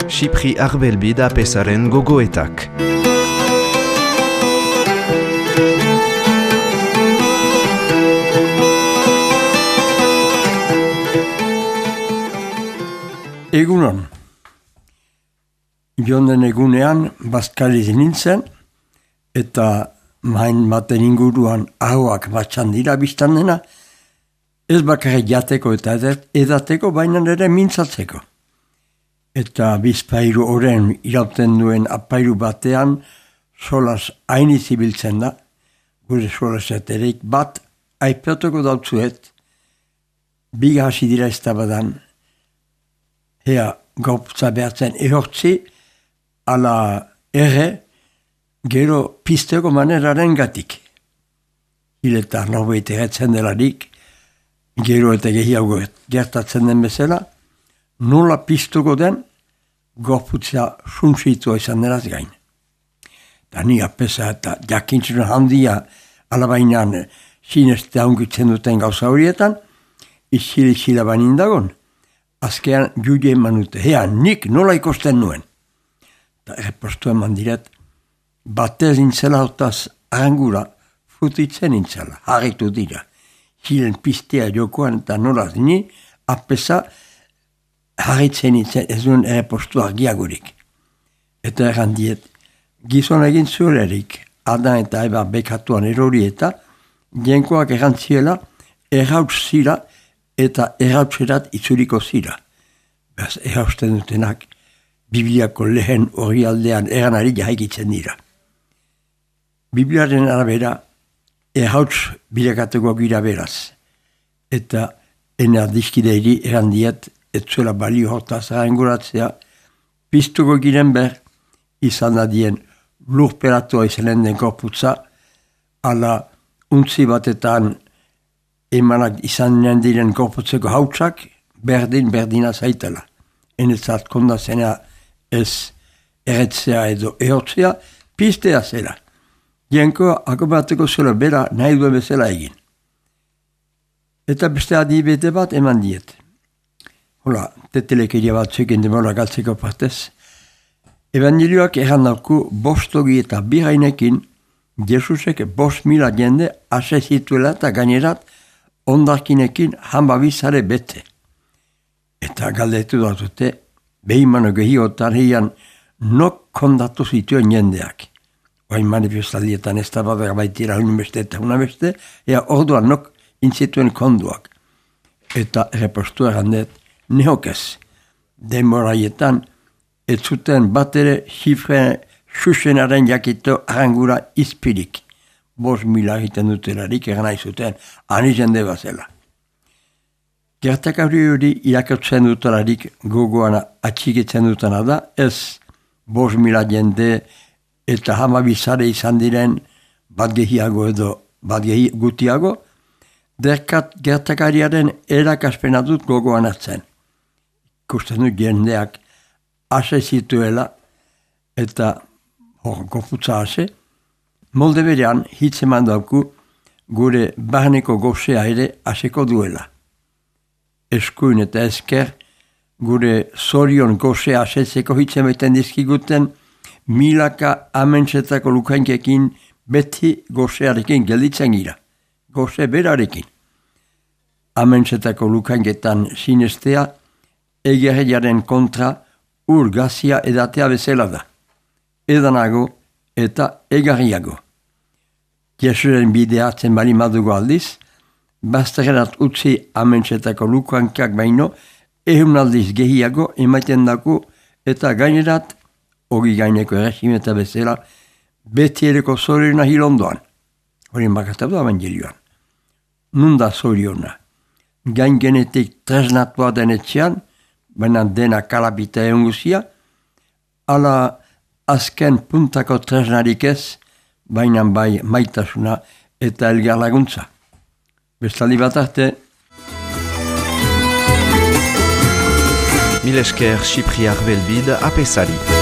Xipri Arbelbid apesaren gogoetak. Egunon. Jonden egunean bazkaliz nintzen, eta main baten inguruan ahoak batxan dira biztan dena, ez bakarrik jateko eta edateko, baina ere mintzatzeko. Eta bizpairu oren irauten duen apairu batean solas hain izibiltzen da, gure solaseterik bat aipatuko dautzuet, biga hasi dira ez da badan, ea gauptza behatzen ehortzi, ala gero pisteko maneraren gatik. Hileta norbait egetzen delarik, gero eta gehiago gertatzen den bezala, nola piztuko den, gorputza suntsitua izan deraz gain. Da ni apesa eta jakintzuna handia alabainan sineste haunkitzen duten gauza horietan, izile banin dagon, azkean juge eman dute, nik nola ikosten nuen. Eta errepostu eman diret, batez intzela hortaz arangura futitzen intzela, harritu dira. Hilen pistea jokoan eta nolaz ni, apesa harritzen nintzen ez duen errepostu argiagurik. Eta errandiet, gizon egin zurerik, adan eta eba bekatuan erori eta, jenkoak errantziela, errauts zira eta errautserat itzuriko zira. Beraz, errausten dutenak, Bibliako lehen hori aldean eranari jahaikitzen dira. Bibliaren arabera, errauts bilakatuko gira beraz. Eta enardizkideiri erandiet, etzuela balio hortaz aranguratzea, piztuko giren ber, izan dadien lurperatua izanen den korputza, ala untzi batetan emanak izan diren korputzeko hautsak, berdina zaitela. Enetzat kondazena ez erretzea edo ehortzea, piztea zela. Jenko akobateko zela bera nahi duen bezala egin. Eta beste adibete bat eman diet. Hola, tetelekeria bat zuekin demora galtzeko partez. Evangelioak errandauku bostogi eta birainekin Jesusek 5.000 jende ase zituela eta gainerat ondarkinekin hanbabizare bete. Eta galdetu datute, behimano gehiotan heian nok kondatu zituen jendeak. Oain manifestaldietan ez da bat baitira unbeste eta unabeste, ea orduan nok intzituen konduak. Eta errepostu errandet, nehokez, demoraietan, ez zuten bat ere xifre xuxenaren jakito arangura izpirik. 5.000 egiten dutelarik eran zuten, ani jende bazela. Gertakari hori irakurtzen dutelarik gogoan atxikitzen dutena da, ez 5.000 jende eta hamabizare izan diren bat gehiago edo bat gutiago, gertakariaren erakaspena dut gogoan atzen. Ikusten dut jendeak ase zituela eta goputza ase, molde berean hitz eman dauku gure barneko gozea ere aseko duela. Eskuin eta esker, gure zorion gozea asetzeko hitzen baiten dizkiguten, milaka amentsetako lukainkekin beti gozearekin gelditzen gira. Goze berarekin. Amentsetako lukainketan sinestea, egerriaren kontra urgazia edatea bezala da. Edanago eta egarriago. Jesuren bideatzen bali madugo aldiz, bazterrenat utzi amentsetako lukankak baino, aldiz gehiago emaiten daku eta gainerat, hori gaineko erregimeta bezala, beti ereko zoriona hilondoan. Hori bakatatu evangelioan. Nunda zoriona. Gain genetik tresnatua denetxean, baina dena kalapita egun guzia, ala azken puntako tresnarik ez, baina bai maitasuna eta elgar laguntza. Bestaldi bat arte. Mil esker Xipri Arbelbid apesari.